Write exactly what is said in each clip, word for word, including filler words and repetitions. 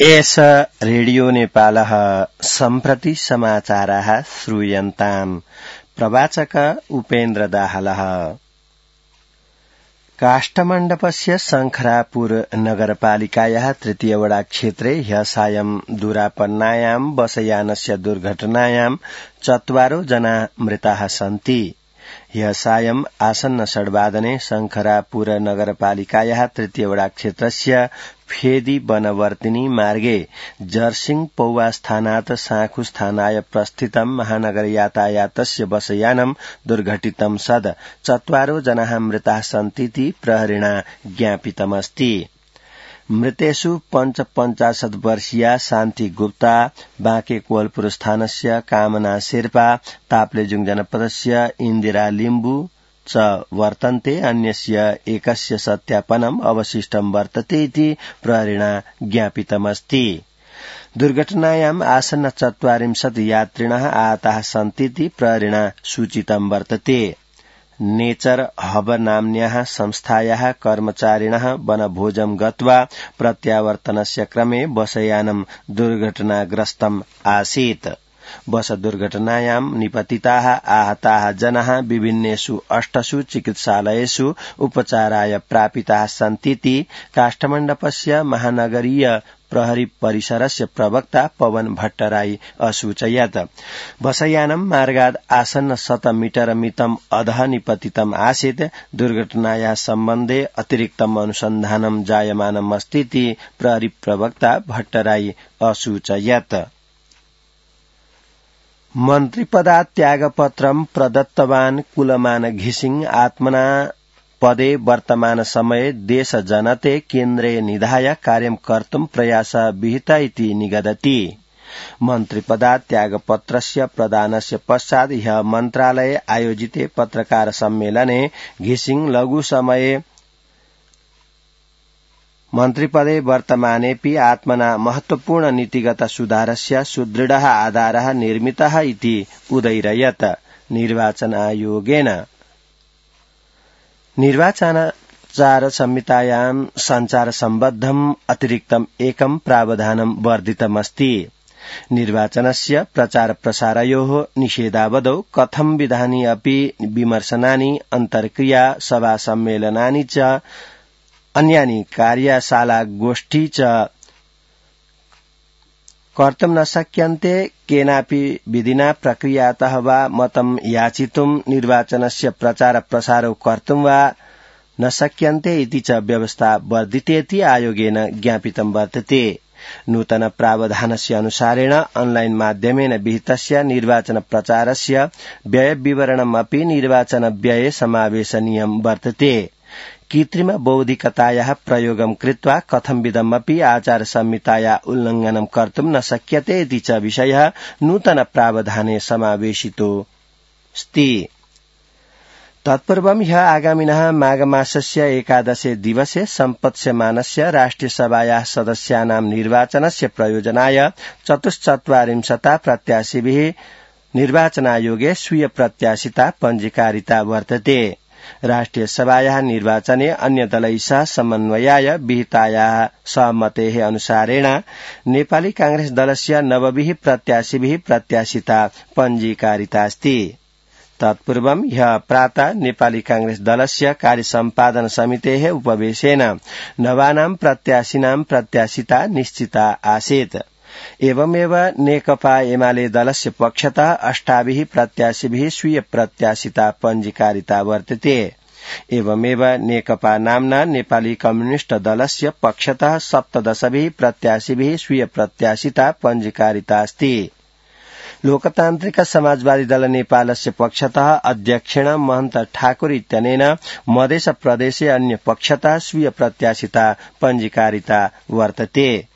एष रेडियो नेपालः सम्प्रति समाचाराः श्रूयन्ताम्। प्रवाचक उपेन्द्र दाहालः। काष्ठमण्डपस्य शङ्खरापुर नगरपालिकायाः तृतीय वडा क्षेत्रे ह्यः सायं दूरापन्नायां बसयानस्य दुर्घटनायां चत्वारो जना मृताः सन्ति। ह्यः सायं आसन्न षड्वादने शङ्खरापुर नगरपालिकायाः तृतीय वडा क्षेत्रस्य फेदी वनवर्तिनी मार्गे जर्सिङ पौवास्थानात् साँखुस्थानाय प्रस्थितं महानगर यातायातस्य बसयानं दुर्घटितं सद चत्वारो जनाः मृताः सन्तीति प्रहरिणा ज्ञापितमस्ति। मृतेषु पञ्चपञ्चाशत् वर्षीया शान्ति गुप्ता बाँके कोवलपुर स्थानस्य कामना शेर्पा ताप्लेजुङ जनपदस्य इन्दिरा लिम्बु च वर्तन्ते। अन्यस्य एकस्य सत्यापनम् अवशिष्टं वर्तते इति प्रहरिणा ज्ञापितमस्ति। दुर्घटनायाम् आसन्न चत्वारिंशत् यात्रिणः आहताः सन्तीति प्रहरिणा सूचितं वर्तते। नेचर हब नाम्न्याः संस्थायाः कर्मचारिणः वनभोजं गत्वा प्रत्यावर्तनस्य क्रमे बसयानं दुर्घटनाग्रस्तम् आसीत्। बस दुर्घटनायां निपतिताः आहताः जनाः विभिन्नेषु अष्टसु चिकित्सालयेषु उपचाराय प्रापिताः सन्तीति काष्ठमण्डपस्य महानगरीय प्रहरी परिसरस्य प्रवक्ता पवन भट्टराई असूचयत्। बसयानं मार्गाद् आसन्न शत मीटर मितम् अधः निपतितम् आसीत्। दुर्घटनायाः सम्बन्धे अतिरिक्तम् अनुसन्धानं जायमानम् अस्तीति प्रहरी प्रवक्ता भट्टराई असूचयत्। मन्त्रिपदात् त्यागपत्रं प्रदत्तवान् कुलमान घिसिङ आत्मना पदे वर्तमान समये देश जनते केन्द्रे निधाय कार्यं कर्तुं प्रयास विहिता इति निगदति। मन्त्रिपदात् त्यागपत्रस्य प्रदानस्य पश्चात् ह्यः मन्त्रालये आयोजिते पत्रकार सम्मेलने घिसिङ लघु समये मन्त्रिपदे वर्तमानेऽपि आत्मना महत्वपूर्ण नीतिगत सुधारस्य सुदृढः आधारः निर्मितः इति उदैरयत्। निर्वाचन आयोगेन निर्वाचनाचार संहितायां संचार सम्बद्धम् अतिरिक्तम् एकं प्रावधानं वर्धितमस्ति। निर्वाचनस्य प्रचार प्रसारयोः निषेधावधौ कथं विधानि अपि विमर्शनानि अन्तर्क्रिया सभा सम्मेलनानि च अन्यानि कार्यशाला गोष्ठी च कर्तुं न शक्यन्ते। केनापि विधिना प्रक्रियातः वा मतं याचितुं निर्वाचनस्य प्रचार प्रसारौ कर्तुं वा न शक्यन्ते इति च व्यवस्था वर्धितेति आयोगेन ज्ञापितं वर्तते। नूतन प्रावधानस्य अनुसारेण ऑनलाइन माध्यमेन विहितस्य निर्वाचन प्रचारस्य व्यय विवरणमपि निर्वाचन व्यये समावेशनीयं वर्तते। कृत्रिम बौद्धिकतायाः प्रयोगं कृत्वा कथंविधमपि आचार संहिताया उल्लङ्घनं कर्तुं न शक्यते इति च विषयः नूतन प्रावधाने समावेशितोऽस्ति। तत्पूर्वं ह्यः आगामिनः माघमासस्य एकादशे दिवसे सम्पत्स्यमानस्य राष्ट्रियसभायाः सदस्यानां निर्वाचनस्य प्रयोजनाय चतुश्चत्वारिंशता प्रत्याशिभिः निर्वाचनायोगे स्वीय प्रत्याशिता पञ्जीकारिता वर्तते। राष्ट्रिय सभायाः निर्वाचने अन्य दलैः सह समन्वयाय विहितायाः सहमतेः अनुसारेण नेपाली कांग्रेस दलस्य नवभिः प्रत्याशिभिः प्रत्याशिता पञ्जीकारितास्ति। तत्पूर्वं ह्यः प्रातः नेपाली कांग्रेस दलस्य कार्यसम्पादन समितेः उपवेशेन नवानां प्रत्याशिनां प्रत्याशिता निश्चिता आसीत्। एवमेव नेकपा एमाले दलस्य पक्षतः अष्टाभिः प्रत्याशिभिः स्वीय प्रत्याशिता पञ्जीकारिता वर्तते। एवमेव नेकपा नाम्ना नेपाली कम्युनिष्ट दलस्य पक्षतः सप्तदशभिः प्रत्याशिभिः स्वीय प्रत्याशिता पञ्जीकारिता अस्ति। लोकतान्त्रिक समाजवादी दल नेपालस्य पक्षतः अध्यक्षेण महन्त ठाकुर इत्यनेन मधेस प्रदेशे अन्य पक्षतः स्वीय प्रत्याशिता पञ्जीकारिता वर्तते।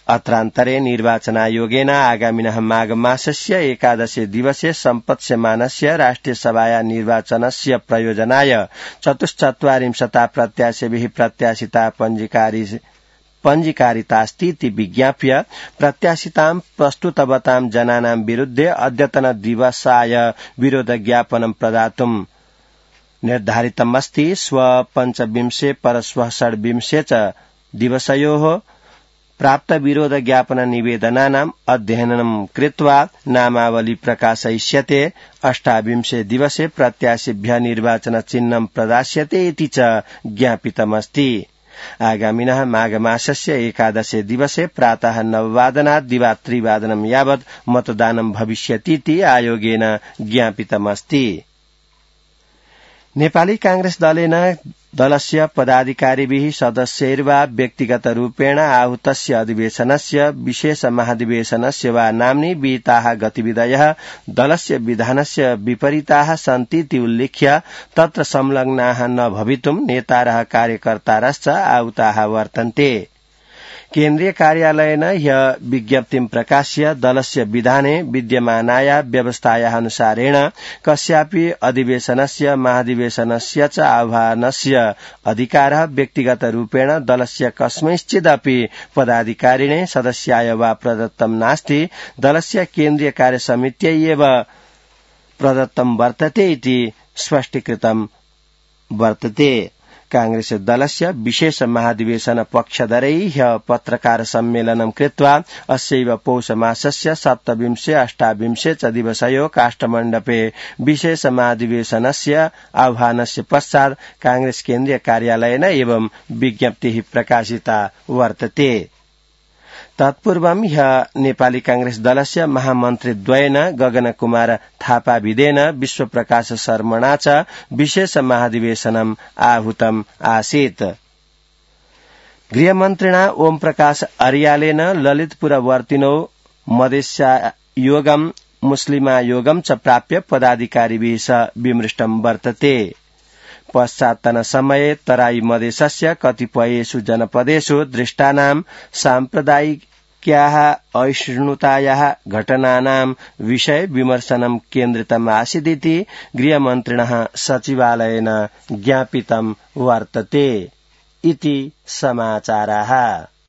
अत्रान्तरे निर्वाचनायोगेन आगामिनः माघमासस्य एकादशे दिवसे सम्पत्स्यमानस्य राष्ट्रियसभाया निर्वाचनस्य प्रयोजनाय चतुश्चत्वारिंशता प्रत्याशिभिः प्रत्याशिता पञ्जीकारी पञ्जीकारितास्तीति विज्ञाप्य प्रत्याशितां प्रस्तुतवतां जनानां विरुद्धे अद्यतन दिवसाय विरोध ज्ञापनं प्रदातुं निर्धारितमस्ति। स्व पञ्चविंशे परश्वः षड्विंशे च दिवसयोः प्राप्त विरोध ज्ञापन निवेदनानाम् अध्ययनं कृत्वा नामावली प्रकाशयिष्यते। अष्टाविंशे दिवसे प्रत्याशिभ्यः निर्वाचन चिह्नं प्रदास्यते इति च ज्ञापितमस्ति। आगामिनः माघमासस्य एकादशे दिवसे प्रातः नववादनात् दिवा त्रिवादनं यावत् मतदानं भविष्यतीति आयोगेन ज्ञापितमस्ति। नेपाली कांग्रेस दलेन दलस्य पदाधिकारिभिः सदस्यैर्वा व्यक्तिगतरूपेण आहूतस्य अधिवेशनस्य विशेष महाधिवेशनस्य वा नाम्नि विहिताः गतिविधयः दलस्य विधानस्य विपरीताः सन्तीति उल्लिख्य तत्र संलग्नाः न भवितुं नेतारः कार्यकर्तारश्च आहूताः वर्तन्ते। केन्द्रीय कार्यालयेन ह्यः विज्ञप्तिं प्रकाश्य दलस्य विधाने विद्यमानाया व्यवस्थाया अनुसारेण कस्यापि अधिवेशनस्य महाधिवेशनस्य च आह्वानस्य अधिकारः व्यक्तिगतरूपेण दलस्य कस्मैश्चिदपि पदाधिकारिणे सदस्याय वा प्रदत्तं नास्ति। दलस्य केन्द्रीय कार्यसमित्यै एव प्रदत्तं वर्तते इति स्पष्टीकृतं वर्तते। कांग्रेस दलस्य विशेष महाधिवेशन पक्षधरैः ह्यः पत्रकार सम्मेलनं कृत्वा अस्यैव पौषमासस्य सप्तविंशे अष्टाविंशे च दिवसयो काष्ठमण्डपे विशेष महाधिवेशनस्य आह्वानस्य पश्चात् कांग्रेस केन्द्रीय कार्यालयेन एवं विज्ञप्तिः प्रकाशिता वर्तते। तत्पूर्वं ह्यः नेपाली कांग्रेस दलस्य महामन्त्रीद्वयेन गगन कुमार थापाभिदेन विश्वप्रकाश शर्मणा च विशेष महाधिवेशनम् आहूतम् आसीत्। गृहमन्त्रिणा ओम प्रकाश अर्यालेन ललितपुरवर्तिनो मधेशायोगम् मुस्लिमायोगम् च प्राप्य पदाधिकारिभिः सह विमृष्टं वर्तते। पश्चात्तन समये तराई मधेशस्य कतिपयेषु जनपदेषु दृष्टानां साम्प्रदायिक्याः असहिष्णुतायाः घटनानां विषये विमर्शनं केन्द्रितमासीदिति गृहमन्त्रिणः सचिवालयेन ज्ञापितं वर्तते। इति समाचाराः।